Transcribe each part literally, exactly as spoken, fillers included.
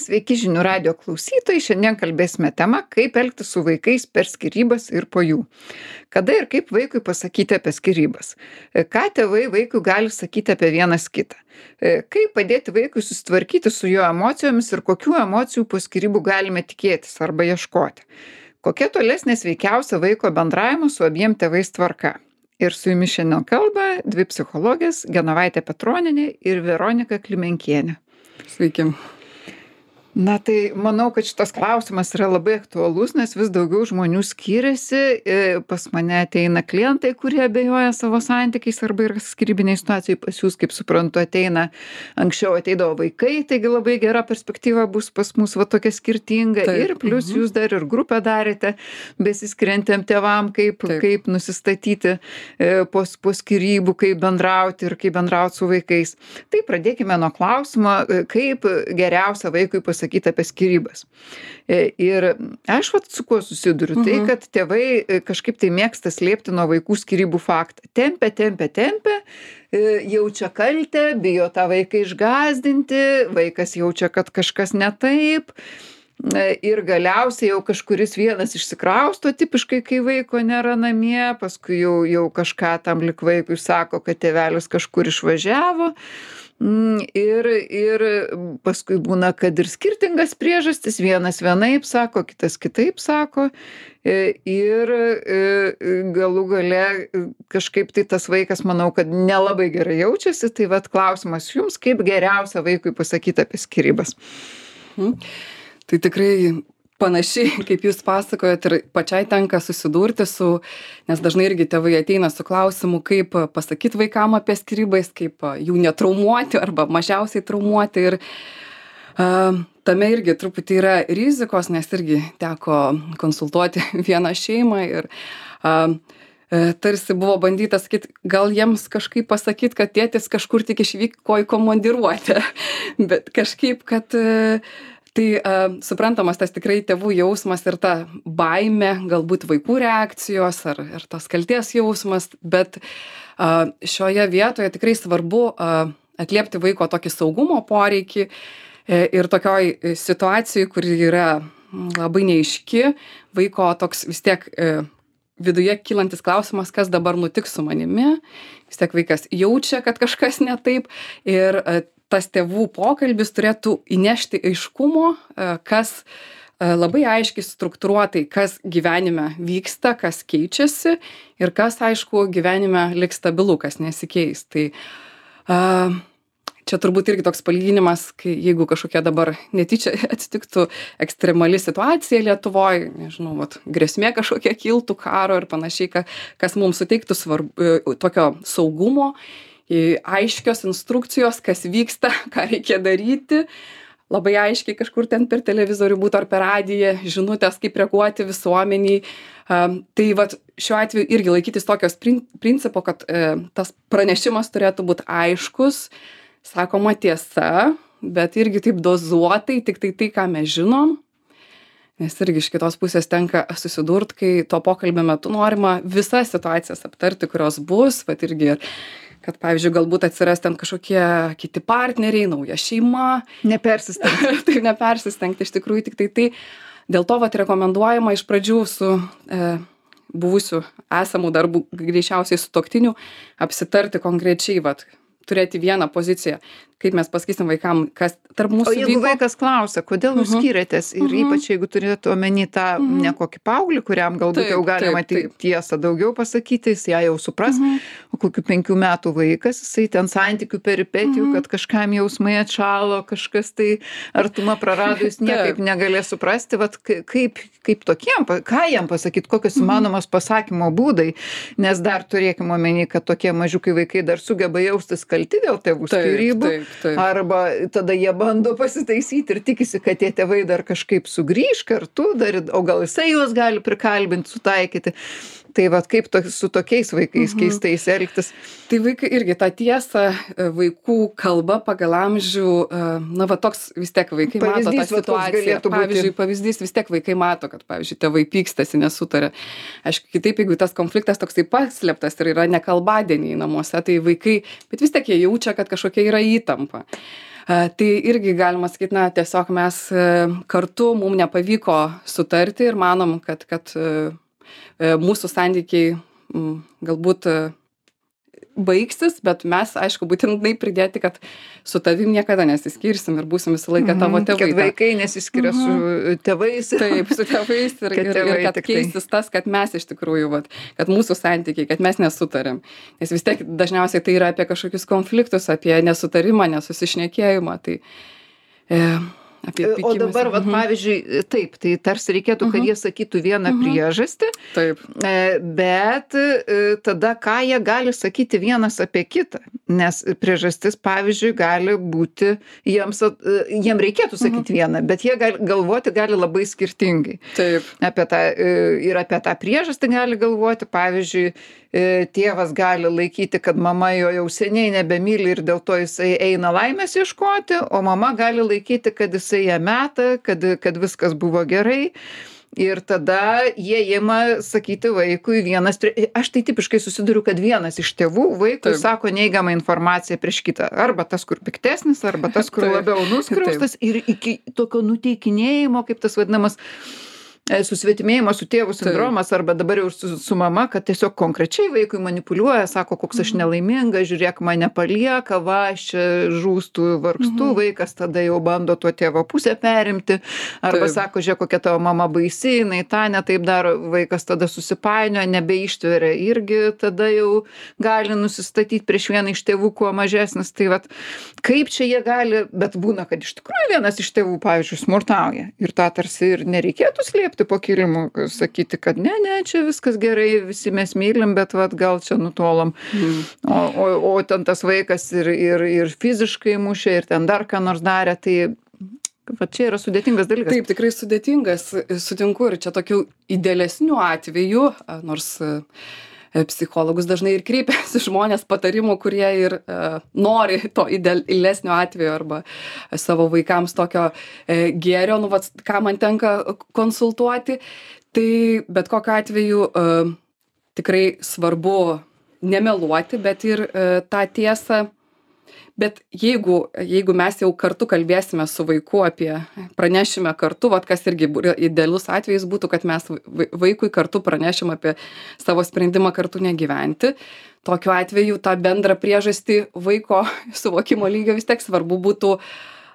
Sveiki žinių radijo klausytojai, šiandien kalbėsime tema, kaip elgtis su vaikais per skyrybas ir po jų. Kada ir kaip vaikui pasakyti apie skyrybas. Ką tėvai vaikui gali sakyti apie vienas kitą. Kaip padėti vaikui susitvarkyti su jo emocijomis ir kokių emocijų po skyrybų galime tikėtis arba ieškoti. Kokia tolesnė sveikiausia vaiko bendravimo su abiem tėvais tvarka. Ir su jumis šiandien kalba dvi psichologės Genovaitė Petronienė ir Veronika Klimenkienė. Sveiki. Na tai manau, kad šitas klausimas yra labai aktualus, nes vis daugiau žmonių skiriasi. Pas mane ateina klientai, kurie abejoja savo santykiais arba yra skyrybiniai situacijai. Pas jūs, kaip suprantu, ateina, anksčiau ateidavo vaikai, taigi labai gera perspektyva bus pas mus va tokia skirtinga. Taip. Ir plus mhm. jūs dar ir grupę darėte besiskiriantiem tėvam, kaip, kaip nusistatyti po, po skyrybų, kaip bendrauti ir kaip bendrauti su vaikais. Tai pradėkime nuo klausimo, kaip geriausia vaikui pasakyti sakyti apie skyrybas. Ir aš vat su kuo susiduriu, tai kad tėvai kažkaip tai mėgsta slėpti nuo vaikų skyrybų faktą. Tempia, tempia, tempia, jaučia kaltę, bijo tą vaiką išgąsdinti, vaikas jaučia, kad kažkas ne taip. Ir galiausiai jau kažkuris vienas išsikrausto tipiškai, kai vaiko nėra namie, paskui jau, jau kažką tam lik vaikui sako, kad tėvelis kažkur išvažiavo. Ir, ir paskui būna, kad ir skirtingas priežastis, vienas vienaip sako, kitas kitaip sako. Ir galų gale kažkaip tai tas vaikas, manau, kad nelabai gerai jaučiasi. Tai vat klausimas jums, kaip geriausia vaikui pasakyti apie skyrybas. Hmm. Tai tikrai panašiai, kaip jūs pasakojat, ir pačiai tenka susidurti su, nes dažnai irgi tėvai ateina su klausimu, kaip pasakyti vaikam apie skyrybas, kaip jų netraumuoti arba mažiausiai traumuoti. Ir uh, tame irgi truputį yra rizikos, nes irgi teko konsultuoti vieną šeimą ir uh, tarsi buvo bandyta sakyti, gal jiems kažkaip pasakyti, kad tėtis kažkur tik išvyko į komandiruotę, bet kažkaip, kad uh, Tai uh, suprantamas tas tikrai tėvų jausmas ir ta baimė, galbūt vaikų reakcijos ar, ar tas kalties jausmas, bet uh, šioje vietoje tikrai svarbu uh, atliepti vaiko tokį saugumo poreikį e, ir tokioj situacijai, kur yra labai neaiški, vaiko toks vis tiek e, viduje kylantis klausimas, kas dabar nutiks su manimi, vis tiek vaikas jaučia, kad kažkas ne taip ir e, tas tėvų pokalbis turėtų įnešti aiškumo, kas labai aiškiai struktūruotai, kas gyvenime vyksta, kas keičiasi ir kas, aišku, gyvenime liks stabilu, kas nesikeis. Tai čia turbūt irgi toks palyginimas, kai jeigu kažkokia dabar netyčia atsitiktų ekstremali situacija Lietuvoje, nežinau, vat, grėsmė kažkokia kiltų karo ir panašiai, kas mums suteiktų svarbu, tokio saugumo, aiškios instrukcijos, kas vyksta, ką reikia daryti, labai aiškiai kažkur ten per televizorių būtų ar per radiją, žinutės, kaip reaguoti visuomeniai. Um, tai vat, šiuo atveju irgi laikytis tokios prin- principo, kad e, tas pranešimas turėtų būti aiškus, sakoma tiesa, bet irgi taip dozuotai, tik tai tai, ką mes žinom. Nes irgi iš kitos pusės tenka susidurt, kai to pokalbio metu norima visas situacijas aptarti, kurios bus, vat irgi kad, pavyzdžiui, galbūt atsiras ten kažkokie kiti partneriai, nauja šeima. Nepersistengti. Taip, nepersistengti, iš tikrųjų tik tai tai. Dėl to vat rekomenduojama iš pradžių su e, buvusiu esamų darbų, greičiausiai sutuoktiniu, apsitarti konkrečiai, vat, turėti vieną poziciją, kaip mes pasakysim vaikam, kas tarp mūsų vyko. O jeigu vaikas klausia, kodėl jūs uh-huh. skyrėtės ir uh-huh. ypač jeigu turėtų omeny tą uh-huh. ne kokį paauglį, kuriam galbūt taip, jau galima taip, taip. tiesą daugiau pasakyti, jis ją jau supras, uh-huh. o kokių penkių metų vaikas, jisai ten santykių peripetijų, uh-huh. kad kažkam jausmai atšalo, kažkas tai artumą prarado, jis niekaip negalės suprasti, vat, kaip, kaip tokiem, ką jam pasakyti, kokios įmanomos pasakymo būdai, nes dar turėkime omeny, kad tokie mažiukai vaikai dar sugeba jaustis kalti dėl tėvų skyrybų. Taip, taip. Arba tada jie bando pasitaisyti ir tikisi, kad tie tėvai dar kažkaip sugrįž kartu, dar, o gal jisai juos gali prikalbinti, sutaikyti. Tai vat kaip to, su tokiais vaikais mhm. keistais elgtis. Tai vaikai irgi tą tiesą, vaikų kalba pagal amžių, na va toks vis tiek vaikai pavyzdys, mato tą situaciją. Pavyzdžiui, pavyzdys vis tiek vaikai mato, kad, pavyzdžiui, tėvai pykstasi, nesutarė. Aišku, kitaip, jeigu tas konfliktas toksai paslėptas ir yra nekalbadieniai namuose, tai vaikai, bet vis tiek jie jaučia, kad kažkokia yra įtampa. Tai irgi galima sakyti, na, tiesiog mes kartu, mums nepavyko sutarti ir manom, kad, kad mūsų santykiai galbūt baigsis, bet mes, aišku, būtinai pridėti, kad su tavim niekada nesiskirsim ir būsim visą laiką tavo tėvai. Kad vaikai nesiskiria su tėvais. Taip, su tėvais ir kad, ir, ir kad keistis tas, kad mes iš tikrųjų, vat, kad mūsų santykiai, kad mes nesutarėm. Nes vis tiek dažniausiai tai yra apie kažkokius konfliktus, apie nesutarimą, nesusišnekėjimą. Tai, e, O dabar, vat, pavyzdžiui, taip, tai tarsi reikėtų, kad jie sakytų vieną priežastį, taip. Bet tada ką jie gali sakyti vienas apie kitą, nes priežastis, pavyzdžiui, gali būti, jiems, jiem reikėtų sakyti vieną, bet jie gali, galvoti gali labai skirtingai. Taip. Apie tą, ir apie tą priežastį gali galvoti, pavyzdžiui, tėvas gali laikyti, kad mama jo jau seniai nebemyli ir dėl to jisai eina laimės ieškoti, o mama gali laikyti, kad jisai ją meta, kad, kad viskas buvo gerai. Ir tada jie ima sakyti vaikui vienas, aš tai tipiškai susiduriu, kad vienas iš tėvų vaikui Taip. Sako neigiamą informaciją prieš kitą. Arba tas, kur piktesnis, arba tas, kur Taip. Labiau nuskriaustas. Ir iki tokio nuteikinėjimo, kaip tas vadinamas, susvetimėjimo su tėvu sindromas arba dabar jau su, su mama, kad tiesiog konkrečiai vaikui manipuliuoja, sako, koks aš nelaiminga, žiūrėk, mane palieka, va, aš čia žūstu, vargstu, mhm. vaikas tada jau bando tuo tėvo pusę perimti, arba taip. Sako, žiūrėk, kokia tavo mama baisi, jinai tą netaip daro, vaikas tada susipainioja, nebeištveria, irgi tada jau gali nusistatyti prieš vieną iš tėvų, kuo mažesnis. Tai vat, kaip čia jie gali, bet būna, kad iš tikrųjų vienas iš tėvų, pavyzdžiui, smurtauja ir tą tarsi ir nereikėtų slėpti po kilimu, sakyti, kad ne, ne, čia viskas gerai, visi mes mylim, bet vat, gal čia nutolom. Mm. O, o, o ten tas vaikas ir, ir, ir fiziškai mušė, ir ten dar ką nors darė, tai va, čia yra sudėtingas dalykas. Taip, tikrai sudėtingas, sutinku, ir čia tokių idealesnių atvejų, nors psichologus dažnai ir kreipiasi žmonės patarimų, kurie ir uh, nori to idealesnio atvejo arba savo vaikams tokio uh, gėrio, nu, vat, ką man tenka konsultuoti. Tai bet kokiu atveju uh, tikrai svarbu nemeluoti, bet ir uh, tą tiesą. Bet jeigu, jeigu mes jau kartu kalbėsime su vaiku apie, pranešime kartu, vat kas irgi idealus atvejis būtų, kad mes vaikui kartu pranešim apie savo sprendimą kartu negyventi. Tokiu atveju tą bendrą priežastį vaiko suvokimo lygio vis tiek svarbu būtų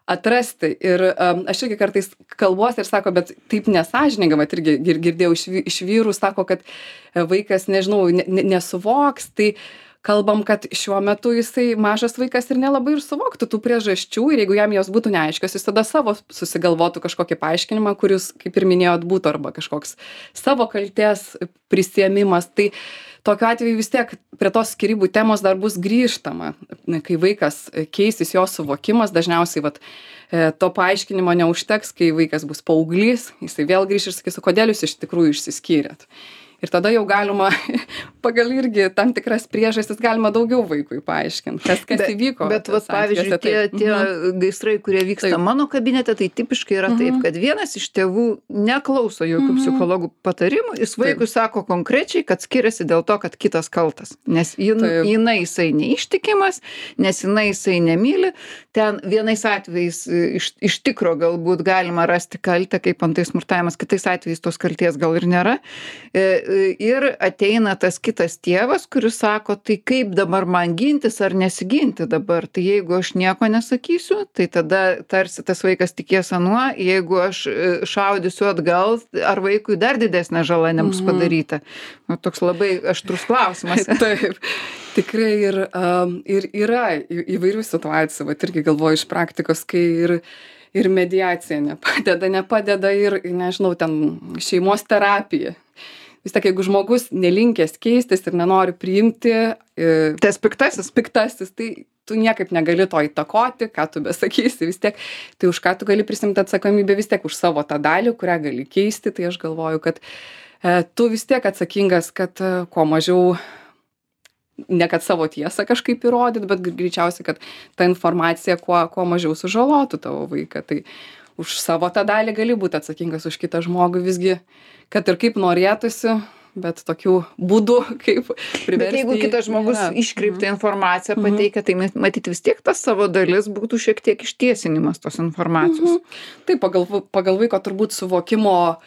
atrasti. Ir um, aš irgi kartais kalbuosi ir sako, bet taip nesąžininga, mat irgi girdėjau iš, iš vyrų, sako, kad vaikas, nežinau, ne, nesuvoks, tai kalbam, kad šiuo metu jisai mažas vaikas ir nelabai ir suvoktų tų priežasčių ir jeigu jam jos būtų neaiškios, jis tada savo susigalvotų kažkokį paaiškinimą, kuris, kaip ir minėjot, būtų arba kažkoks savo kaltės prisiėmimas. Tai tokiu atveju vis tiek prie tos skyrybų temos dar bus grįžtama, kai vaikas keisis jo suvokimas, dažniausiai vat, to paaiškinimo neužteks, kai vaikas bus paauglys, jisai vėl grįš ir sakys, kodėl jūs iš tikrųjų išsiskyrėt. Ir tada jau galima, pagal irgi tam tikras priežastis, galima daugiau vaikui paaiškinti, kas, kas bet, įvyko. Bet, vat, pavyzdžiui, tie, tie mhm. gaisrai, kurie vyksta taip. Mano kabinete, tai tipiškai yra mhm. taip, kad vienas iš tėvų neklauso jokių mhm. psichologų patarimų, jis vaikui taip. Sako konkrečiai, kad skiriasi dėl to, kad kitas kaltas. Nes jin, jinai jisai neištikimas, nes jinai jisai nemyli. Ten vienais atvejais iš, iš tikro galbūt galima rasti kaltę, kaip antai smurtavimas, kitais atvejais tos kalties gal ir nėra. E, Ir ateina tas kitas tėvas, kuris sako, tai kaip dabar man gintis ar nesiginti dabar. Tai jeigu aš nieko nesakysiu, tai tada tarsi tas vaikas tikės anuo, jeigu aš šaudysiu atgal, ar vaikui dar didesnė žala nebus padaryta. Nu, toks labai aštrus klausimas. Taip, tikrai ir, um, ir yra įvairių situacijų, bet irgi galvoju iš praktikos, kai ir ir mediacija nepadeda, nepadeda ir, nežinau, ten šeimos terapija. Vis tiek, jeigu žmogus nelinkęs keistis ir nenori priimti, tas piktasis, piktasis, tai tu niekaip negali to įtakoti, ką tu besakysi, vis tiek, tai už ką tu gali prisimti atsakomybę vis tiek už savo tą dalį, kurią gali keisti, tai aš galvoju, kad e, tu vis tiek atsakingas, kad e, kuo mažiau, ne kad savo tiesą kažkaip įrodyt, bet greičiausiai, kad ta informacija kuo, kuo mažiau sužalotų tavo vaiką, tai už savo tą dalį gali būti atsakingas už kitą žmogų visgi, kad ir kaip norėtųsi, bet tokių būdų, kaip priversti. Bet jeigu kitas žmogus nėra. iškreiptą Mhm. informaciją pateikia, tai matyt vis tiek tas savo dalis būtų šiek tiek ištiesinimas tos informacijos. Mhm. Taip, pagal, pagal vaiko turbūt suvokimo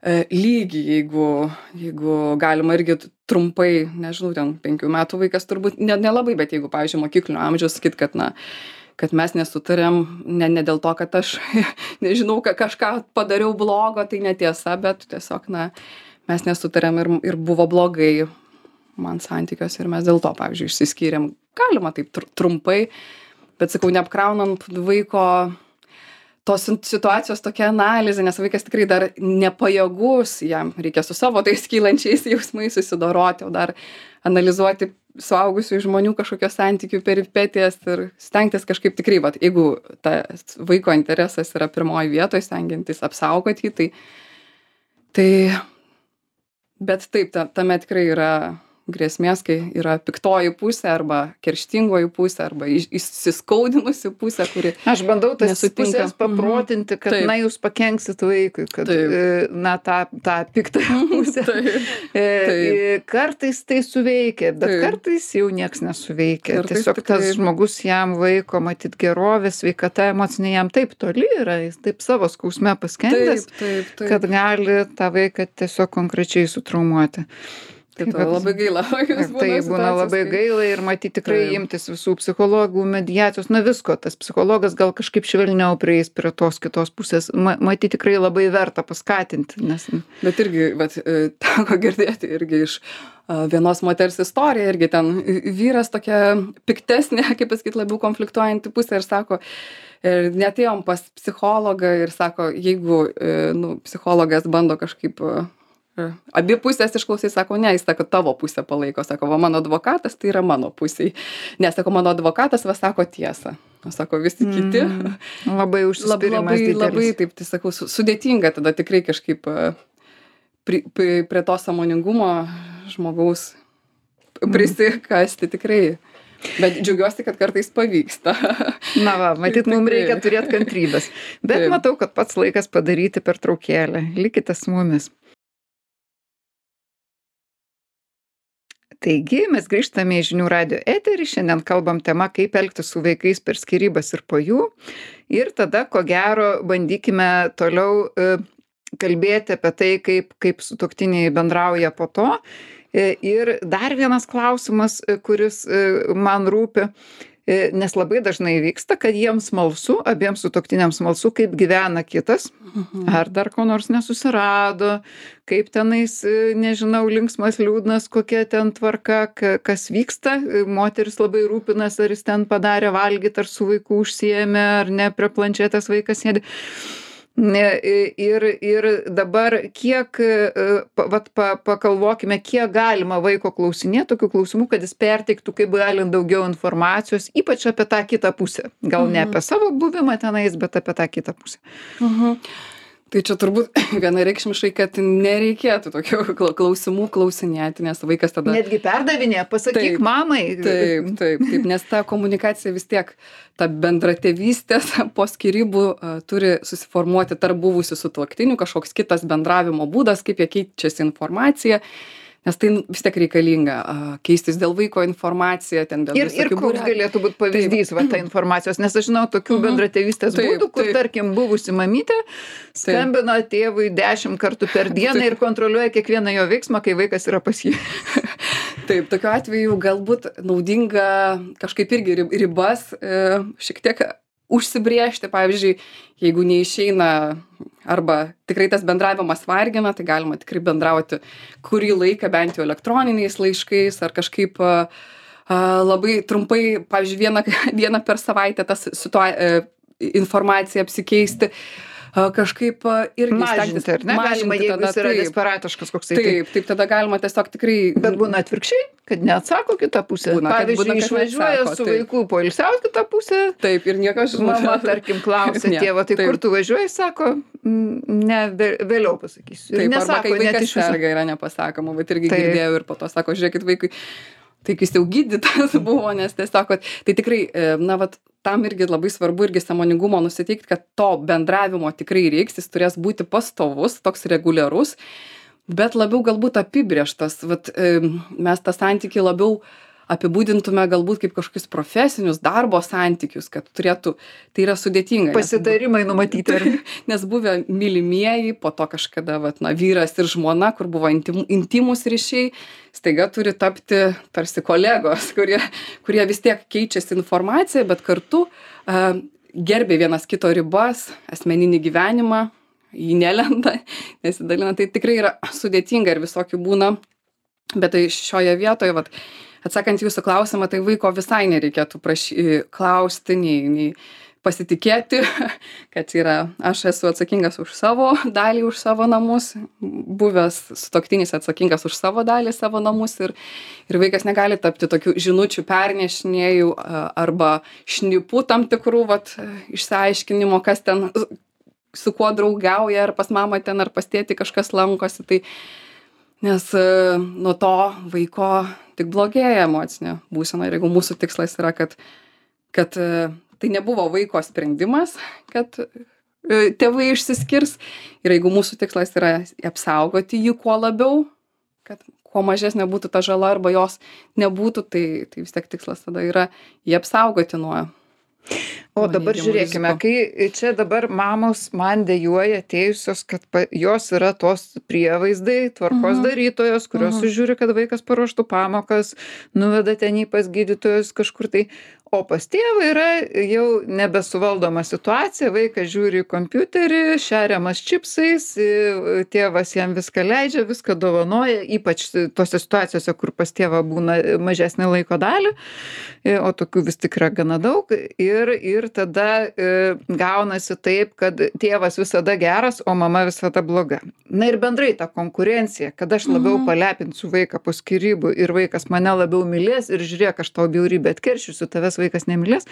e, lygį, jeigu, jeigu galima irgi trumpai, nežinau, ten penkių metų vaikas turbūt ne, nelabai, bet jeigu, pavyzdžiui, mokyklinio amžiaus sakyt, kad, na, kad mes nesutarėm, ne, ne dėl to, kad aš, nežinau, ka, kažką padariau blogo, tai netiesa, bet tiesiog, na, mes nesutarėm ir, ir buvo blogai man santykiuose ir mes dėl to, pavyzdžiui, išsiskyrėm. Galima taip tr trumpai, bet sakau, neapkraunant vaiko tos situacijos tokia analizė, nes vaikas tikrai dar nepajėgus, jam reikia su savo tais kylančiais jausmais susidoroti, o dar analizuoti suaugusių žmonių kažkokios santykių peripetijas ir stengtis kažkaip tikrai, vat, jeigu ta vaiko interesas yra pirmoji vietoje, stengiantis apsaugoti jį, tai, tai bet taip, ta, tame tikrai yra grėsmės, kai yra piktoji pusė arba kerštingoji pusė arba įsiskaudinusi pusė, kuri Aš bandau tas nesutinka. pusės paprotinti, kad, Taip. na, jūs pakenksit vaikui, kad, Taip. e, na, tą, tą piktą pusę. Taip. E, Taip. e, Kartais tai suveikia, bet Taip. kartais jau nieks nesuveikia. Kartais Tiesiog tikrai. tas žmogus jam vaiko, matyt, gerovė, sveikata emocinė jam taip toli yra, jis taip savo skausme paskendęs, Taip, taip, taip. kad gali tą vaiką tiesiog konkrečiai sutraumuoti. Tai vat- labai gaila. Ir tai būna labai gaila ir matyti tikrai Taip. imtis visų psichologų, mediacijos, na visko. Tas psichologas gal kažkaip švelniau prieis prie tos kitos pusės. Ma, matyti tikrai labai verta paskatinti, nes Bet irgi, vat, e, teko girdėti irgi iš a, vienos moters istoriją, irgi ten vyras tokia piktesnė, kaip pasakyti, labiau konfliktuojanti pusė ir sako, ir netėjom pas psichologą ir sako, jeigu e, nu, psichologas bando kažkaip e, abi pusės išklausai, sako, ne, jis sako, tavo pusę palaiko, sako, va, mano advokatas tai yra mano pusėj. Nes, sako, mano advokatas va sako tiesą. O sako, visi kiti. mm, labai Lab, užsispyrimas labai, didelis. labai, taip, tai sakau, su- sudėtinga tada tikrai kažkaip e, pri, pri, prie to sąmoningumo žmogaus prisikasti tikrai. Bet džiaugiuosi, kad kartais pavyksta. Na va, matyt, mums Tikrai. reikia turėti kantrybės. Bet Taip. matau, kad pats laikas padaryti pertraukėlę. Likite su mumis. Taigi, mes grįžtame į žinių radio eterį. Šiandien kalbam tema, kaip elgtis su vaikais per skyrybas ir po jų. Ir tada, ko gero, bandykime toliau e, kalbėti apie tai, kaip, kaip sutuoktiniai bendrauja po to. E, ir dar vienas klausimas, e, kuris e, man rūpi. E, Nes labai dažnai vyksta, kad jiems smalsu, abiems sutuoktiniams smalsu, kaip gyvena kitas, ar dar ko nors nesusirado, kaip tenais, e, nežinau, linksmas, liūdnas, kokia ten tvarka, ka- kas vyksta. E, Moteris labai rūpinas, ar jis ten padarė valgyti, ar su vaiku užsiėmė, ar ne, prie planšetės vaikas sėdi. Ne, i- Ir, ir dabar kiek, e, pa- vat, pa, pakalvokime, kiek galima vaiko klausinėti tokių klausimų, kad jis perteiktų kaip galint daugiau informacijos, ypač apie tą kitą pusę. Gal ne apie savo buvimą tenais, bet apie tą kitą pusę. Mhm. Tai čia turbūt vienareikšmiškai, kad nereikėtų tokių kla- klausimų klausinėti, nes vaikas tada... Netgi perdavinė, pasakyk Taip, mamai. Taip, taip, taip, nes ta komunikacija vis tiek, ta bendratėvystės po skyrybų uh, turi susiformuoti tarp buvusių sutuoktinių, kažkoks kitas bendravimo būdas, kaip jie keičiasi informaciją, nes tai vis tiek reikalinga uh, keistis dėl vaiko informaciją, ten dėl Ir, ir visokių koks būrelių. galėtų būti pavyzdys va, ta informacijos, nes aš žinau tokių Mhm. bendratėvystės Taip, būdų, kur, taip. tarkim, buvusi mamytė skambina tėvui dešimt kartų per dieną ir kontroliuoja kiekvieną jo veiksmą, kai vaikas yra pas jį. Taip, tokiu atveju galbūt naudinga kažkaip irgi ri- ribas e, šiek tiek užsibriežti, pavyzdžiui, jeigu neišeina arba tikrai tas bendravimas vargina, tai galima tikrai bendrauti kurį laiką bent jau elektroniniais laiškais ar kažkaip a, a, labai trumpai, pavyzdžiui, vieną, vieną per savaitę tas situa e, informaciją apsikeisti. A, kažkaip a, irgi Mažinti, ar ne? Galima, jeigu tada, jis yra taip, desperatiškas koksai. tai- taip, taip, tada galima tiesiog tikrai... Bet būna atvirkščiai, kad neatsako kitą pusę. Būna, kad- Pavyzdžiui, būna, kad išvažiuoja neatsako, su taip. vaiku poilsiaut kitą pusę. Taip, ir niekas Mama, tarkim, klausia Ne, tėvo, tai taip. kur tu važiuoji, sako, "Mm, ne, vė- vėliau pasakysiu. Ir Taip, arba nesako, kai net vaikas iš viso. serga yra nepasakoma, bet irgi Taip. girdėjau ir po to sako, žiūrėkit vaikui, tai kai jis jau gydytas buvo, nes tiesiog, vat, tai tikrai, e, na, vat, tam irgi labai svarbu irgi sąmoningumo nusiteikti, kad to bendravimo tikrai reiks, jis turės būti pastovus, toks reguliarus, bet labiau galbūt apibrėžtas. Vat, mes tą santykį labiau apibūdintume galbūt kaip kažkokius profesinius darbo santykius, kad turėtų, tai yra sudėtinga. Pasitarimai numatyti. Ar... Nes buvę mylimieji, po to kažkada vat, na, vyras ir žmona, kur buvo intim, intimus ryšiai, staiga turi tapti tarsi kolegos, kurie, kurie vis tiek keičiasi informaciją, bet kartu uh, gerbė vienas kito ribas, asmeninį gyvenimą, jį nelenda, nesidalina. Tai tikrai yra sudėtinga ir visokių būna, bet tai šioje vietoje, vat, atsakant jūsų klausimą, tai vaiko visai nereikėtų prašy, klausti, nei, nei pasitikėti, kad yra, aš esu atsakingas už savo dalį, už savo namus, buvęs sutuoktinis atsakingas už savo dalį, savo namus ir, ir vaikas negali tapti tokių žinučių pernešinėjų arba šnipų tam tikrų vat, išsiaiškinimo, kas ten su kuo draugiauja, ar pas mamą ten, ar pas tėtį kažkas lankosi. Tai, nes nuo to vaiko tik blogėja emocinė būsena. Ir jeigu mūsų tikslas yra, kad, kad tai nebuvo vaiko sprendimas, kad tėvai išsiskirs. Ir jeigu mūsų tikslas yra apsaugoti jį kuo labiau, kad kuo mažesnė būtų ta žala arba jos nebūtų, tai, tai vis tiek tikslas tada yra jį apsaugoti nuo. O dabar žiūrėkime, kai čia dabar mamos man dejuoja atėjusios, kad pa, jos yra tos prievaizdai, tvarkos uh-huh. darytojos, kurios uh-huh. sužiūri, kad vaikas paruoštų pamokas, nuveda ten į pas gydytojus kažkur tai. O pas tėvą yra jau nebesuvaldoma situacija, vaikas žiūri į kompiuterį, šeriamas čipsais, tėvas jam viską leidžia, viską dovanoja, ypač tose situacijose, kur pas tėvą būna mažesnį laiko dalį, o tokių vis tik yra gana daug. Ir, ir tada e, gaunasi taip, kad tėvas visada geras, o mama visada bloga. Na ir bendrai ta konkurencija, kad aš labiau mhm. palepinsiu vaiką po skyrybų ir vaikas mane labiau mylės ir žiūrėk, aš tau bjaurybę atkeršysiu, tavęs vaikas nemylės,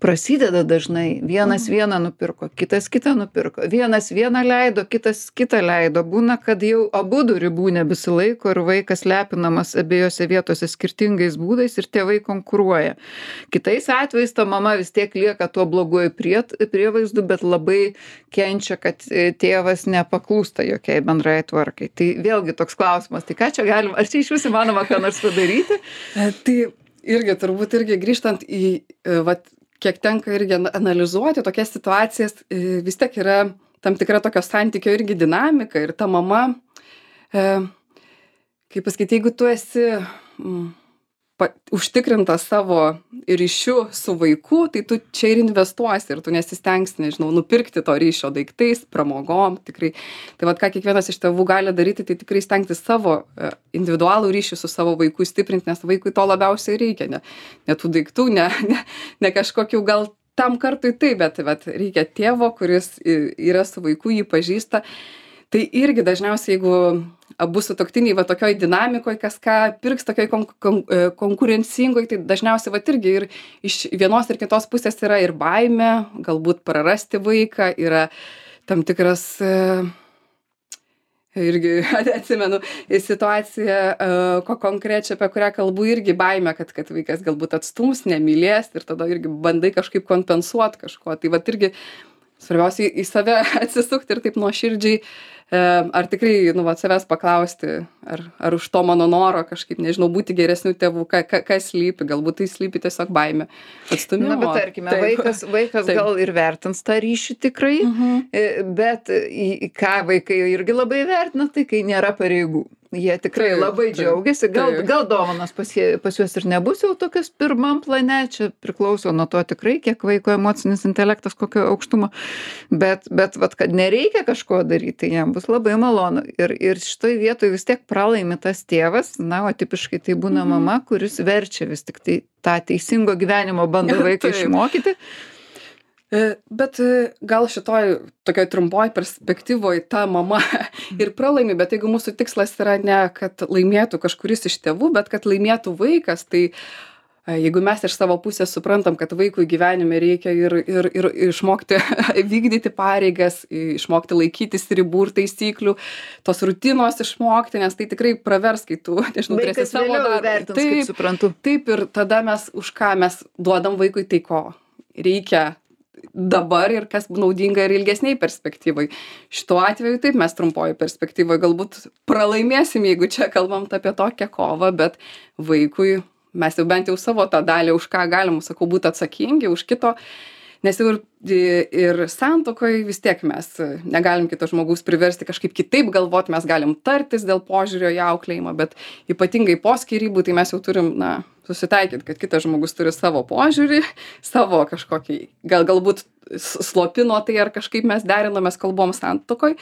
prasideda dažnai. Vienas mhm. vieną nupirko, kitas kitą nupirko. Vienas vieną leido, kitas kitą leido. Būna, kad jau abudu ribų nebesilaiko ir vaikas lepinamas abiejose vietose skirtingais būdais ir tėvai konkuruoja. Kitais atvejais ta mama vis tiek lieka tuo bloguoju prie, prievaizdu, bet labai kenčia, kad tėvas nepaklūsta jokiai bendrai tvarkai. Tai vėlgi toks klausimas, tai ką čia galima, ar čia iš vis įmanoma ką nors padaryti? Tai irgi turbūt irgi grįžtant į, vat, kiek tenka irgi analizuoti tokias situacijas, vis tiek yra tam tikra tokio santykio irgi dinamika ir ta mama, e, kaip pasakyti, jeigu tu esi m, pa, užtikrintas savo ryšiu su vaiku, tai tu čia ir investuosi ir tu nesistengsi, nežinau, nupirkti to ryšio daiktais, pramogom, tikrai. Tai vat ką kiekvienas iš tėvų gali daryti, tai tikrai stengti savo individualų ryšį su savo vaiku stiprinti, nes vaikui to labiausiai reikia, ne, ne tų daiktų, ne, ne, ne kažkokių gal tam kartui taip, bet, bet reikia tėvo, kuris yra su vaiku, jį pažįsta. Tai irgi dažniausiai, jeigu abu sutuoktiniai va tokioj dinamikoj, kas ką pirks tokioj kon, kon, konkurencingoj, tai dažniausiai va irgi ir iš vienos ir kitos pusės yra ir baimė, galbūt prarasti vaiką, yra tam tikras, irgi atsimenu situaciją, ko konkrečiai, apie kurią kalbu, irgi baimė, kad, kad vaikas galbūt atstums, nemylės ir tada irgi bandai kažkaip kompensuoti kažko. Tai va irgi svarbiausia į save atsisukti ir taip nuoširdžiai, ar tikrai, nu, va, savęs paklausti, ar, ar už to mano noro kažkaip, nežinau, būti geresnių tėvų, ka, ka, kas slypi, galbūt tai slypi tiesiog baimė, atstūmimo. Na, bet tarkime, taip. vaikas, vaikas taip. gal ir vertins tą ryšį tikrai, uh-huh. bet į ką vaikai irgi labai vertina, tai kai nėra pareigų. Jie tikrai taip, labai taip, džiaugiasi, gal, taip. gal dovanos pas, jie, pas juos ir nebus jau tokias pirmam plane, čia priklauso nuo to tikrai, kiek vaiko emocinis intelektas, kokio aukštumo, bet, bet vat, kad nereikia kažko daryti, tai jam bus labai malonu. Ir, ir šitoj vietoj vis tiek pralaimi tas tėvas, na, o tipiškai tai būna mhm. mama, kuris verčia vis tik tai tą teisingo gyvenimo bando vaiką išmokyti. Bet gal šitoj tokioj trumpoj perspektyvoj ta mama ir pralaimi, bet jeigu mūsų tikslas yra ne, kad laimėtų kažkuris iš tėvų, bet kad laimėtų vaikas, tai jeigu mes iš savo pusės suprantam, kad vaikui gyvenime reikia ir, ir, ir išmokti vykdyti pareigas, išmokti laikytis ribų ir taisyklių, tos rutinos išmokti, nes tai tikrai pravers, kai tu, nežinau, turėsi savo darbą. Taip, suprantu. Taip, ir tada mes už ką mes duodam vaikui tai, ko reikia dabar ir kas naudinga ir ilgesniai perspektyvai. Šituo atveju taip, mes trumpoji perspektyvai galbūt pralaimėsim, jeigu čia kalbam apie tokią kovą, bet vaikui mes jau bent jau savo tą dalį, už ką galim, sakau, būti atsakingi, už kito. Nes jau ir, ir santuokoje vis tiek mes negalim kito žmogaus priversti kažkaip kitaip galvoti, mes galim tartis dėl požiūrio į auklėjimą, bet ypatingai po skyrybų, tai mes jau turim, na, susitaikyti, kad kitas žmogus turi savo požiūrį, savo kažkokį, gal galbūt slopino tai ar kažkaip mes derinomės kalbom santuokoje.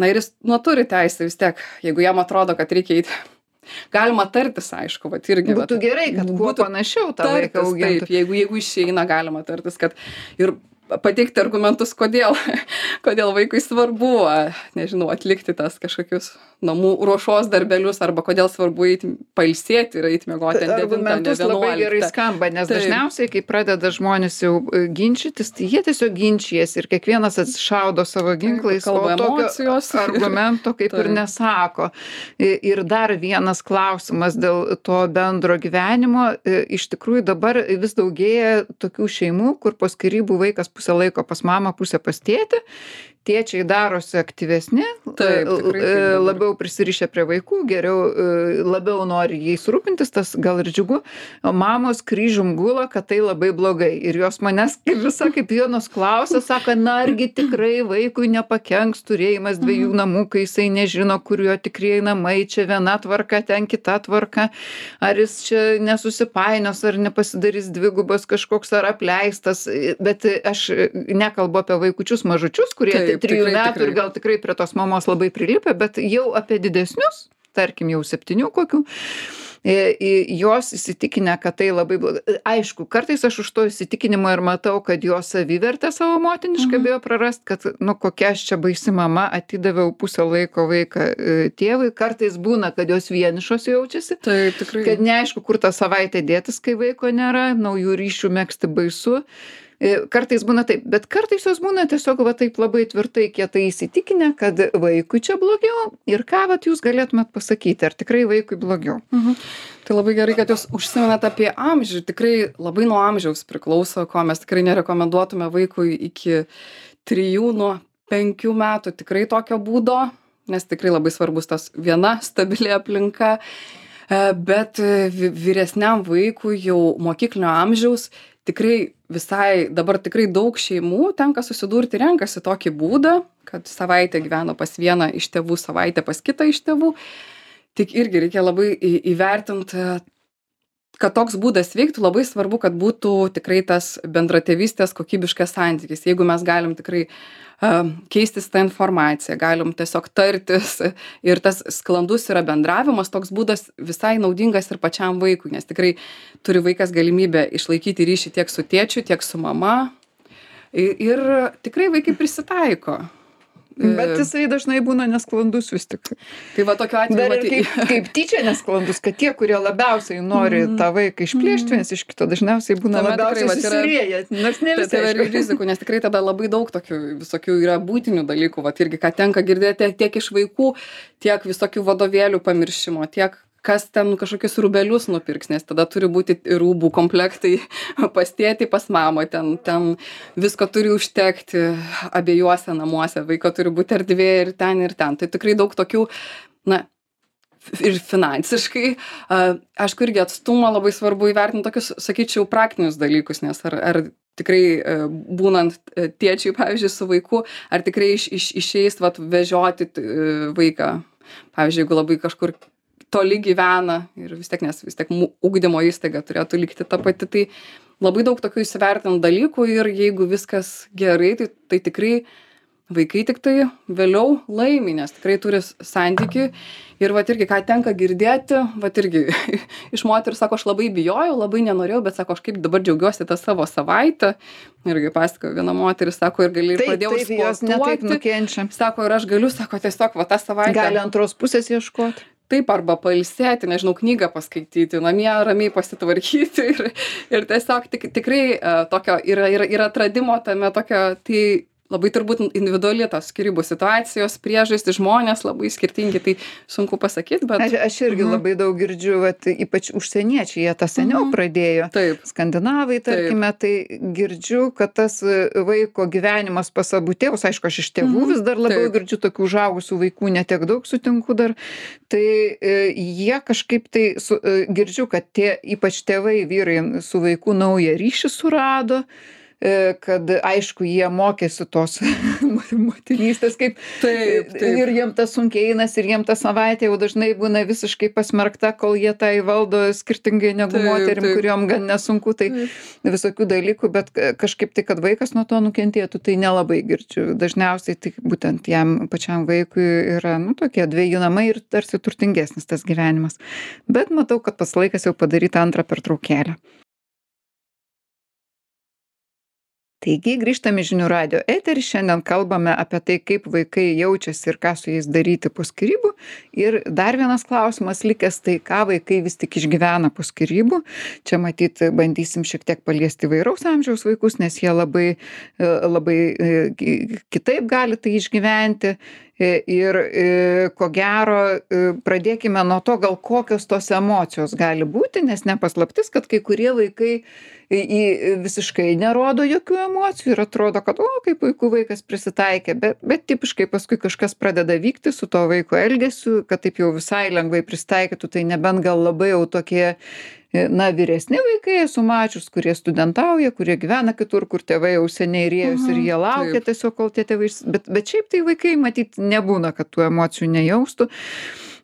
Na ir jis, nu, turi teisę vis tiek, jeigu jam atrodo, kad reikia eiti. Galima tartis, aišku, vat irgi. Būtų vat, gerai, kad kuo panašiau tą vaiką augintų. Taip, jeigu, jeigu išeina, galima tartis, kad ir pateikti argumentus, kodėl, kodėl vaikui svarbu, nežinau, atlikti tas kažkokius namų ruošos darbelius, arba kodėl svarbu eiti pailsėti ir eiti miegoti ant devintą, ne argumentus labai gerai skamba, nes Taip. dažniausiai, kai pradeda žmonės jau ginčytis, tai jie tiesiog ginčijas ir kiekvienas atsišaudo savo ginklais, o tokio argumento kaip ir nesako. Ir dar vienas klausimas dėl to bendro gyvenimo. Iš tikrųjų dabar vis daugėja tokių šeimų, kur po skyrybų vaikas pusę laiko pas mamą, pusę pas tėtį. Tėčiai darosi aktyvesni, Taip, tikrai, taip, labiau prisirišę prie vaikų, geriau, labiau nori jais rūpintis, tas gal ir džiugu. Mamos kryžium gula, kad tai labai blogai. Ir jos manęs visa kaip vienos klausia, sako, na argi tikrai vaikui nepakenks turėjimas dviejų namų, kai jisai nežino, kur jo tikrieji namai, čia viena tvarka, ten kita tvarka, ar jis čia nesusipainios, ar nepasidarys dvigubas kažkoks ar apleistas. Bet aš nekalbu apie vaikučius mažučius, kurie Taip, trijų tikrai, metų tikrai. ir gal tikrai prie tos mamos labai prilipę, bet jau apie didesnius, tarkim jau septynių kokių, jos įsitikinę, kad tai labai blogai. Aišku, kartais aš už to įsitikinimo ir matau, kad jos savivertę savo motinišką Mhm. bijo prarast, kad, nu, kokia aš čia baisi mama, atidaviau pusę laiko vaiką e, tėvui. Kartais būna, kad jos vienišos jaučiasi, Taip, tikrai. kad neaišku, kur tą savaitę dėtis, kai vaiko nėra, naujų ryšių megzti baisu. E, Kartais būna taip, bet kartais jos būna tiesiog va taip labai tvirtai kietai įsitikinę, kad vaikui čia blogiau ir ką vat jūs galėtumėt pasakyti, ar tikrai vaikui blogiau. Mhm. Tai labai gerai, kad jūs užsimenat apie amžių. Tikrai labai nuo amžiaus priklauso, ko mes tikrai nerekomenduotume vaikui iki trijų, nuo penkių metų tikrai tokio būdo, nes tikrai labai svarbus tas viena stabili aplinka. E, Bet e, vi- vyresniam vaikui jau mokyklinio amžiaus tikrai visai, dabar tikrai daug šeimų tenka susidurti, renkasi tokį būdą, kad savaitę gyveno pas vieną iš tėvų, savaitę pas kitą iš tėvų. Tik irgi reikia labai į- įvertinti, kad toks būdas veiktų, labai svarbu, kad būtų tikrai tas bendratėvystės kokybiškas santykis. Jeigu mes galim tikrai uh, keistis tą informaciją, galim tiesiog tartis ir tas sklandus yra bendravimas, toks būdas visai naudingas ir pačiam vaikui, nes tikrai turi vaikas galimybę išlaikyti ryšį tiek su tėčiu, tiek su mama. Ir, ir tikrai vaikai prisitaiko. Bet jisai dažnai būna nesklandus vis tik. Tai va tokiu atveju Dar ir matai- kaip, kaip tyčia nesklandus, kad tie, kurie labiausiai nori tą vaiką išplėšti vienas iš kito, dažniausiai būna Tame labiausiai tikrai vat yra- susirieję, nors ne Tai visai. tai yra aišku. rizikų, nes tikrai tada labai daug tokių visokių yra būtinių dalykų, vat irgi, ką tenka girdėti tiek iš vaikų, tiek visokių vadovėlių pamiršimo, tiek kas ten kažkokius rūbelius nupirks, nes tada turi būti rūbų komplektai pas tėtį, pas mamą, ten, ten visko turi užtekti abiejuose namuose, vaiko turi būti erdvė ir ten, ir ten. Tai tikrai daug tokių, na, ir finansiškai. A, Aišku, irgi atstumą labai svarbu įvertinti tokius, sakyčiau, praktinius dalykus, nes ar, ar tikrai e, būnant e, tėčiui, pavyzdžiui, su vaiku, ar tikrai iš, iš, išeis vat, vežioti e, vaiką. Pavyzdžiui, jeigu labai kažkur toli gyvena ir vis tiek, nes vis tiek mu- ugdymo įstaiga turėtų likti ta pati, tai labai daug tokių įsivertinant dalykų ir jeigu viskas gerai, tai, tai tikrai vaikai tik tai vėliau laimi, nes tikrai turi s- santykių ir vat irgi, ką tenka girdėti, vat irgi iš moterų sako, aš labai bijojau, labai nenorėjau, bet sako, aš kaip dabar džiaugiuosi tą savo savaitę. Irgi pasakojo viena moteris, sako, ir gali ir Taip, pradėjau taip, jos netaip sportuoti. nukenčia. Sako, ir aš galiu, sako, tiesiog va tą savaitę. Gali antros pusės ieškoti. Taip, arba pailsėti, nežinau, knygą paskaityti, namie ramiai pasitvarkyti ir, ir tiesiog tik, tikrai uh, tokio yra, yra, yra atradimo tame tokio, tai labai turbūt individuali tos skyrybų situacijos, priežastys, žmonės labai skirtingi, tai sunku pasakyti, bet... Aš, aš irgi Mhm. labai daug girdžiu, vat, ypač užsieniečiai, jie tą seniau Mhm. pradėjo. Taip. Skandinavai, tarkime, tai girdžiu, kad tas e, vaiko gyvenimas pas abu tėvus, aišku, aš iš tėvų Mhm. vis dar labiau Taip. girdžiu tokių užaugusių vaikų, netiek daug sutinku dar, tai e, jie kažkaip tai su, e, girdžiu, kad tie, ypač tėvai, vyrai su vaiku naują ryšį surado, e, kad aišku, jie mokėsi tos motinystės, kaip Taip, taip. ir jiem tas sunkiai einas, ir jiem ta savaitė jau dažnai būna visiškai pasmerkta, kol jie tai valdo skirtingai negu Taip, moterim, taip. kuriuom gan nesunku, tai visokių dalykų, bet k- kažkaip tai, kad vaikas nuo to nukentėtų, tai nelabai girdžiu. Dažniausiai tai būtent jam pačiam vaikui yra, nu, tokie dviejų namai ir tarsi turtingesnis tas gyvenimas. Bet matau, kad pas laikas jau padaryti antrą pertraukėlę. Taigi grįžtame į žinių radio eterį, šiandien kalbame apie tai, kaip vaikai jaučiasi ir ką su jais daryti po skyrybų. Ir dar vienas klausimas likęs, tai ką vaikai vis tik išgyvena po skyrybų. Čia matyt, bandysim šiek tiek paliesti įvairaus amžiaus vaikus, nes jie labai, e, labai e, ki- kitaip gali tai išgyventi. E, Ir e, ko gero, e, pradėkime nuo to, gal kokios tos emocijos gali būti, nes nepaslaptis, kad kai kurie vaikai į, į visiškai nerodo jokių emocijų ir atrodo, kad, o, kaip puiku vaikas prisitaikė, bet, bet tipiškai paskui kažkas pradeda vykti su to vaiko elgesiu, kad taip jau visai lengvai pristaikytų, tai nebent gal labai jau tokie, e, na, vyresni vaikai esu mačius, kurie studentauja, kurie gyvena kitur, kur tėvai jau seniai rėjus ir Mhm, jie laukia taip. tiesiog, kol tie tėvai, išs- bet, bet šiaip tai vaikai matyt nebūna, kad tų emocijų nejaustų.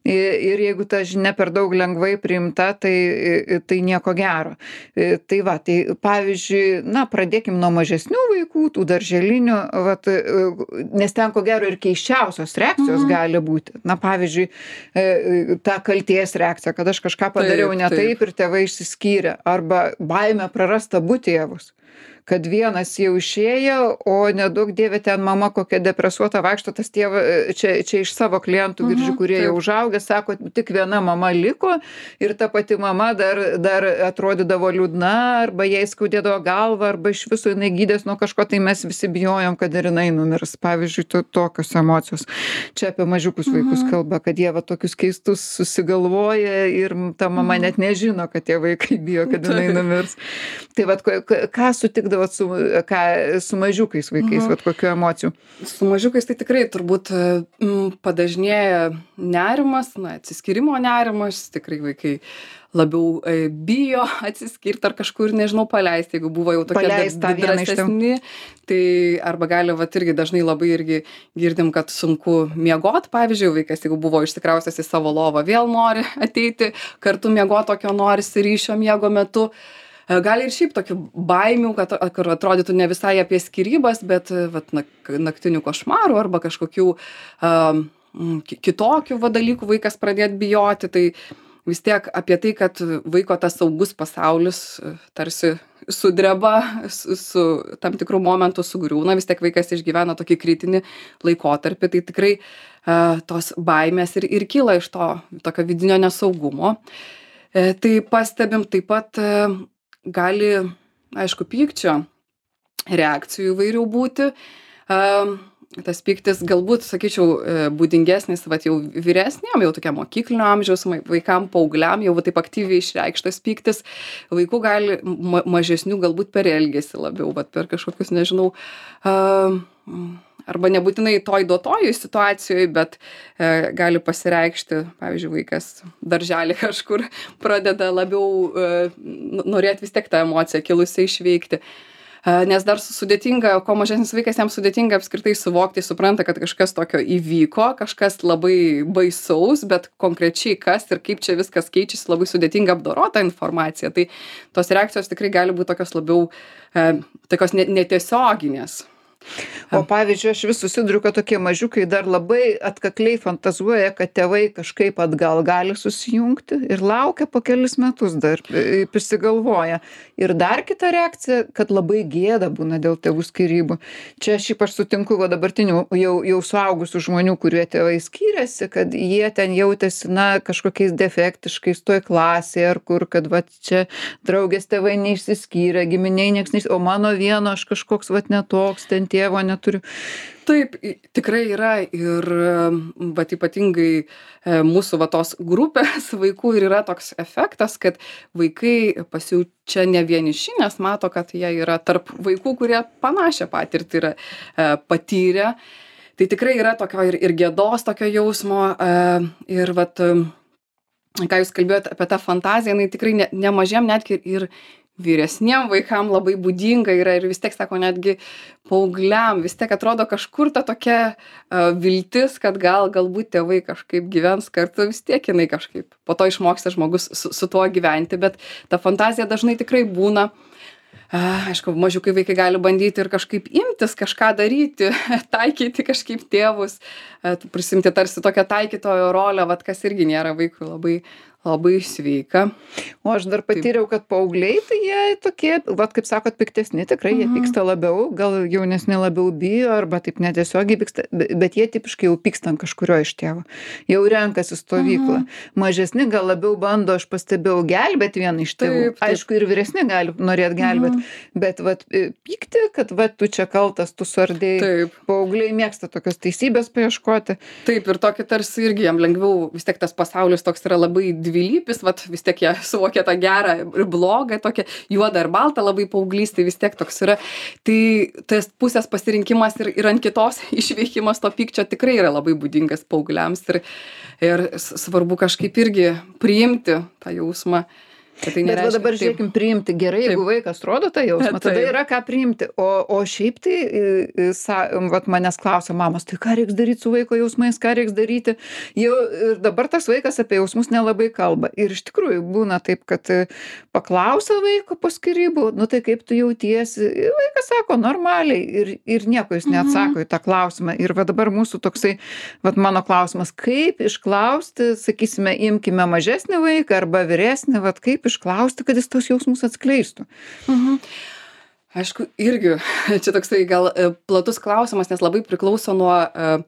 I- Ir jeigu ta žinia per daug lengvai priimta, tai, i- tai nieko gero. I, Tai va, tai pavyzdžiui, na, pradėkim nuo mažesnių vaikų, tų darželinių, vat, i, nes ten ko gero ir keiščiausios reakcijos Mhm. gali būti. Na, pavyzdžiui, e, e, ta kalties reakcija, kad aš kažką padariau Taip, ne taip. taip ir tėvai išsiskyrė, arba baimė prarasti abu tėvus. Kad vienas jau išėjo, o nedaug dievė ten mama kokia depresuota vaikšto, tas tėvas, čia, čia iš savo klientų girdžiu, Mhm, kurie jau taip. užaugę, sako, tik viena mama liko ir ta pati mama dar, dar atrodydavo liūdna, arba jai skaudėdavo galvą, arba iš viso jinai gydės nuo kažko, tai mes visi bijojom, kad ir jinai numirs. Pavyzdžiui, to, tokios emocijos. Čia apie mažiukus vaikus Mhm. kalba, kad jie va tokius keistus susigalvoja ir ta mama Mhm. net nežino, kad tie vaikai bijo, kad jinai Taip. numirs. Tai vat, ko- ką ką sutikdavot su, ką, su mažiukais vaikais, Mhm. vat kokių emocijų? Su mažiukais tai tikrai turbūt mm, padažnėja nerimas, na, atsiskyrimo nerimas, tikrai vaikai labiau e, bijo atsiskirti ar kažkur, nežinau, paleisti, jeigu buvo jau tokie Paleist tą dra- vieną iš tėvų. drąsesni, tai arba gali, va, irgi dažnai labai irgi girdim, kad sunku miegot, pavyzdžiui, vaikas, jeigu buvo išsikraustęs į savo lovą, vėl nori ateiti, kartu miegot tokio norisi ryšio miego metu. E, Gali ir šiaip tokių baimių, kad kur atrodytų ne visai apie skyrybas, bet e, vat, nak, naktinių košmarų arba kažkokių um, kitokių va, dalykų vaikas pradėt bijoti. Tai vis tiek apie tai, kad vaiko tas saugus pasaulis e, tarsi sudreba, su, su tam tikrų momentų sugriūna, vis tiek vaikas išgyvena tokį kritinį laikotarpį, tai tikrai uh, tos baimės ir, ir kyla iš to tokio vidinio nesaugumo. E, tai pastebim taip pat e, gali, aišku, pykčio reakcijų įvairių būti. Um, tas pyktis galbūt, sakyčiau, e, būdingesnis vat jau vyresniam, jau tokiam mokyklinio amžiaus ma- vaikam, paaugliam, jau va taip aktyviai išreikštas pyktis. Vaikų gali ma mažesnių galbūt per elgesį labiau, vat per kažkokius, nežinau, um, arba nebūtinai toj duotoj situacijoj, bet e, gali pasireikšti, pavyzdžiui, vaikas darželį kažkur pradeda labiau e, n- norėt vis tiek tą emociją kilusią išveikti. E, Nes dar su- sudėtinga, kuo mažesnis vaikas, jam sudėtinga apskritai suvokti, supranta, kad kažkas tokio įvyko, kažkas labai baisaus, bet konkrečiai kas ir kaip čia viskas keičiasi, labai sudėtinga apdorota informacija. Tai tos reakcijos tikrai gali būti tokios labiau, e, tokios ne- netiesioginės. O pavyzdžiui, aš vis susiduriu, kad tokie mažiukai dar labai atkakliai fantazuoja, kad tėvai kažkaip atgal gali susijungti ir laukia po kelis metus dar e, prisigalvoja. Ir dar kita reakcija, kad labai gėda būna dėl tėvų skyrybų. Čia šiaip aš sutinku, va dabartinių jau, jau suaugusių žmonių, kurie tėvai skyrėsi, kad jie ten jautėsi, na, kažkokiais defektiškais toj klasėje ar kur, kad va čia draugės tėvai neišsiskyrė, giminiai nieks neišsiskyrė, o mano vieno aš kažkoks va netoks ten tėvo neturiu. Taip, i- tikrai yra ir vat ypatingai e, mūsų va tos grupės vaikų ir yra toks efektas, kad vaikai pasijaučia ne vieniši, nes mato, kad jie yra tarp vaikų, kurie panašią patirtį yra e, patyrę. Tai tikrai yra tokio ir, ir gėdos tokio jausmo e, ir vat, e, ką jūs kalbėjote apie tą fantaziją, jinai tikrai ne, nemažiem netgi ir vyresniem vaikam labai būdinga yra ir vis tiek, sako, netgi paaugliam, vis tiek atrodo kažkur ta tokia uh, viltis, kad gal, galbūt tėvai kažkaip gyvens kartu, vis tiek jinai kažkaip po to išmoksta žmogus su, su tuo gyventi, bet ta fantazija dažnai tikrai būna. Uh, aišku, mažiukai vaikai gali bandyti ir kažkaip imtis, kažką daryti, taikyti kažkaip tėvus, uh, prisimti tarsi tokią taikytojo rolę, vat kas irgi nėra vaikui labai, labai sveika. O aš dar patyriau, kad paaugliai, tai jie tokie, vat kaip sakot, piktesni, tikrai jie pyksta labiau, gal jaunesni labiau bijo, arba taip netiesiogiai pyksta, be- bet jie tipiškai jau pyksta ant kažkurio iš tėvų. Jau renkasi stovyklą. Mažesni gal labiau bando, aš pastebėjau, gelbėti vieną iš tėvų. Taip, taip. Aišku, ir vyresni gali norėti gelbėti, bet vat e, pykti, kad vat tu čia kaltas, tu suardėjai. Taip. Paaugliai mėgsta tokios teisybės paieškoti. Taip, ir tokį tarsi irgi jam lengviau, vis tiek tas pasaulis toks yra labai dvilypis, vat vis tiek jie suvokia tą gerą ir blogą, tokią juodą ir baltą labai paauglystė, vis tiek toks yra. Tai tas pusės pasirinkimas ir, ir ant kitos išveikimas to pykčio tikrai yra labai būdingas paaugliams ir, ir s- svarbu kažkaip irgi priimti tą jausmą. kad Tai Bet va nereiškia, dabar taip. žiūrėkim, priimti gerai, jeigu vaikas rodo tą jausmą, tada Taip. yra ką priimti. O, o šiaip tai, i, i, sa, vat manęs klausia mamos, tai ką reiks daryti su vaiko jausmais, ką reiks daryti. Jau ir dabar tas vaikas apie jausmus nelabai kalba. Ir iš tikrųjų būna taip, kad e, paklausia vaiko po skyrybų, nu tai kaip tu jautiesi. Ir vaikas sako normaliai ir, ir nieko jis neatsako į tą klausimą. Ir va dabar mūsų toksai, va mano klausimas, kaip išklausti, sakysime, imkime mažesnį vaiką arba vyresnį, va kaip išklausti, kad jis tos jausmus atskleistų. Mhm. Aišku, irgi čia toksai gal e, platus klausimas, nes labai priklauso nuo, e,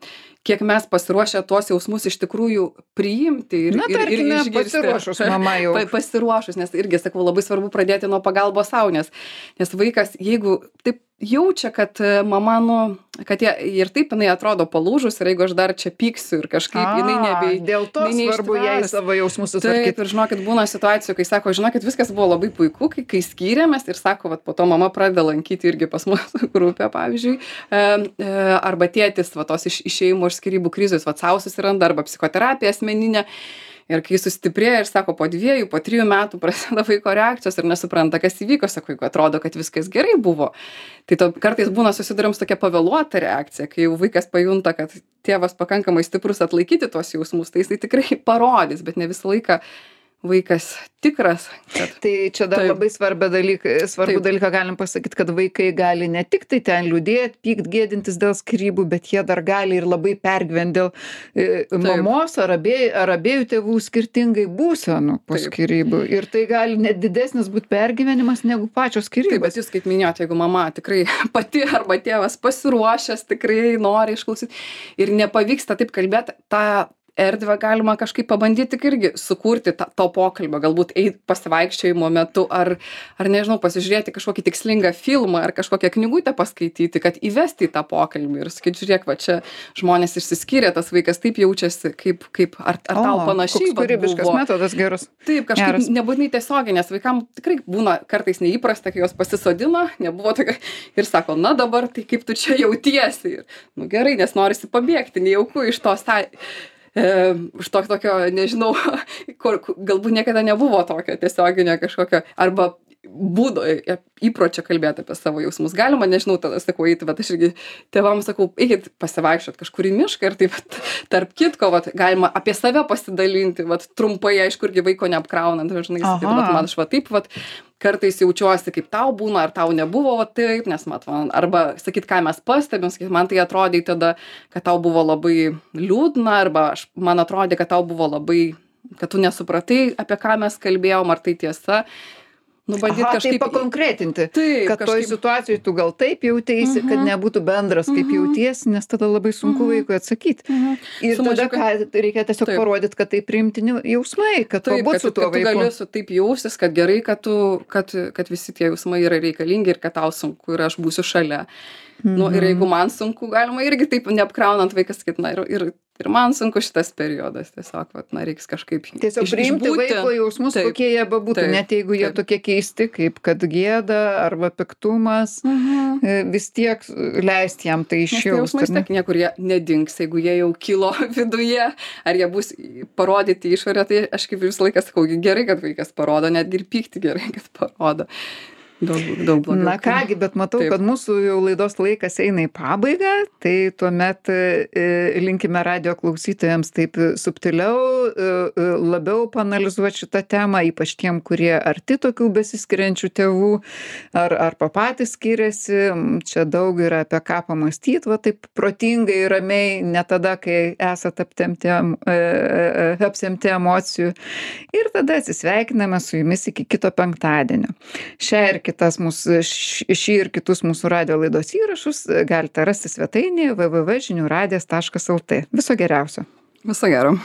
kiek mes pasiruošę tuos jausmus iš tikrųjų priimti ir, Na, ir, ir tarkime, išgirsti. pasiruošus mama jau. Pa- Pasiruošus, nes irgi, sakau, labai svarbu pradėti nuo pagalbos sau, nes, nes vaikas, jeigu taip jaučia, kad e, mama, nu, kad jie, ir taip jinai atrodo palūžus ir jeigu aš dar čia pyksiu ir kažkaip jinai A, nebei... Dėl to jinai svarbu jai neištvers. savo jausmus Taip, sutvarkyti. ir žinokit, būna situacijų, kai sako, žinokit, viskas buvo labai puiku, kai, kai skyrėmės ir sako, vat, po to mama pradeda lankyti irgi pas mūsų grupę, pavyzdžiui, e, e, arba tėtis, va, tos iš, išėjimo iš skyrybų krizės, va, sau susiranda, arba psichoterapija asmeninė. Ir kai sustiprėja ir sako, po dviejų, po trijų metų prasideda vaiko reakcijos ir nesupranta, kas įvyko, sako, jeigu atrodo, kad viskas gerai buvo. Tai to, kartais būna susiduriam su tokia pavėluota reakcija, kai jau vaikas pajunta, kad tėvas pakankamai stiprus atlaikyti tuos jausmus, tai jisai tikrai parodys, bet ne visą laiką vaikas tikras. Kad... Tai čia dar Taip. labai svarbą dalyką, svarbų Taip. dalyką galim pasakyti, kad vaikai gali ne tik tai ten liūdėti, pykt, gėdintis dėl skyrybų, bet jie dar gali ir labai pergyventi dėl e, mamos ar abiejų, ar abiejų tėvų skirtingai būsenų po Taip. skyrybų. Ir tai gali net didesnis būti pergyvenimas negu pačios Taip, skyrybos. bet jūs kaip minėjote, jeigu mama tikrai pati arba tėvas pasiruošęs, tikrai nori išklausyti ir nepavyksta taip kalbėti, tą erdvę galima kažkaip pabandyti tik irgi sukurti tą, to pokalbio, galbūt eit pasivaikščiojimo metu ar, ar nežinau, pasižiūrėti kažkokį tikslingą filmą ar kažkokią knygutę paskaityti, kad įvesti į tą pokalbį ir sakyti, žiūrėk, va čia žmonės išsiskyrė, tas vaikas taip jaučiasi, kaip, kaip ar, ar tau panašiai koks kūrybiškas buvo. metodas geras. Taip, kažkaip Geras. nebūtinai tiesiogiai, nes vaikam tikrai būna kartais neįprasta, kai jos pasisodina, nebuvo tokia ir sako, na dabar tai kaip tu čia jautiesi. Ir, nu gerai, nes norisi pabėgti, nejauku iš to sa... E, už to tokio, nežinau, kur, kur galbūt niekada nebuvo tokio tiesioginio kažkokio, arba būdo, e, įpročio kalbėti apie savo jausmus. Galima, nežinau, tada sakau, eiti, bet aš irgi tėvams sakau, eikit pasivaikščiot kažkur į mišką ir taip, vat, tarp kitko, vat, galima apie save pasidalinti, vat, trumpai, aišku, irgi vaiko neapkraunant, žinai, sakyti, vat, man aš va taip, vat, kartais jaučiuosi, kaip tau būna, ar tau nebuvo va, taip, nes mat, man, arba sakyt, ką mes pastebim, sakyt, man tai atrodė tada, kad tau buvo labai liūdna, arba aš, man atrodė, kad tau buvo labai, kad tu nesupratai, apie ką mes kalbėjom, ar tai tiesa. Nu, bandyt Aha, tai kažkaip... pakonkretinti, Taip, kad toj kažkaip- situacijoj tu gal taip jauteisi, kad nebūtų bendras, kaip jautiesi, nes tada labai sunku vaikui atsakyti. Ir Su tada mažiuka- ką, reikia tiesiog Taip. parodyti, kad tai priimtini jausmai, kad Taip, pabūt kad, su tu- tuo kad tu vaiku. gali su taip jaustis, kad gerai, kad, tu, kad, kad visi tie jausmai yra reikalingi ir kad tau sunku ir aš būsiu šalia. Nu, ir jeigu man sunku, galima irgi taip neapkraunant vaikas sakyti, na ir, ir, ir man sunku šitas periodas, tiesiog, vat, na, reiks kažkaip Tiesiog iš- priimti išbūti. vaiko jausmus, Taip. kokie jie bebūtų, Taip. net jeigu jie Taip. tokie keisti, kaip kad gėda arba piktumas, e, vis tiek leisti jam tai Nes tie jausmai išjausti. tiek niekur jie nedings, jeigu jie jau kilo viduje, ar jie bus parodyti išorę, tai aš kaip visą laiką sakau, gerai, kad vaikas parodo, netgi ir pykti gerai, kad parodo. Daug, daug blogiau. Na kągi, bet matau, Taip. kad mūsų jau laidos laikas eina į pabaigą, tai tuomet e, linkime radio klausytojams taip subtiliau, e, e, labiau panalizuoti šitą temą, ypač tiem, kurie arti tokių besiskiriančių tėvų, ar, ar patys skiriasi, čia daug yra apie ką pamastyti, va taip protingai, ramiai, ne tada, kai esate aptemti, e, e, apsemti emocijų. Ir tada atsisveikiname su jumis iki kito penktadienio. Šią ir kitas mūsų, šį ir kitus mūsų radio laidos įrašus galite rasti svetainėje w w w taškas žinių radijas taškas l t. Viso geriausio. Viso gero.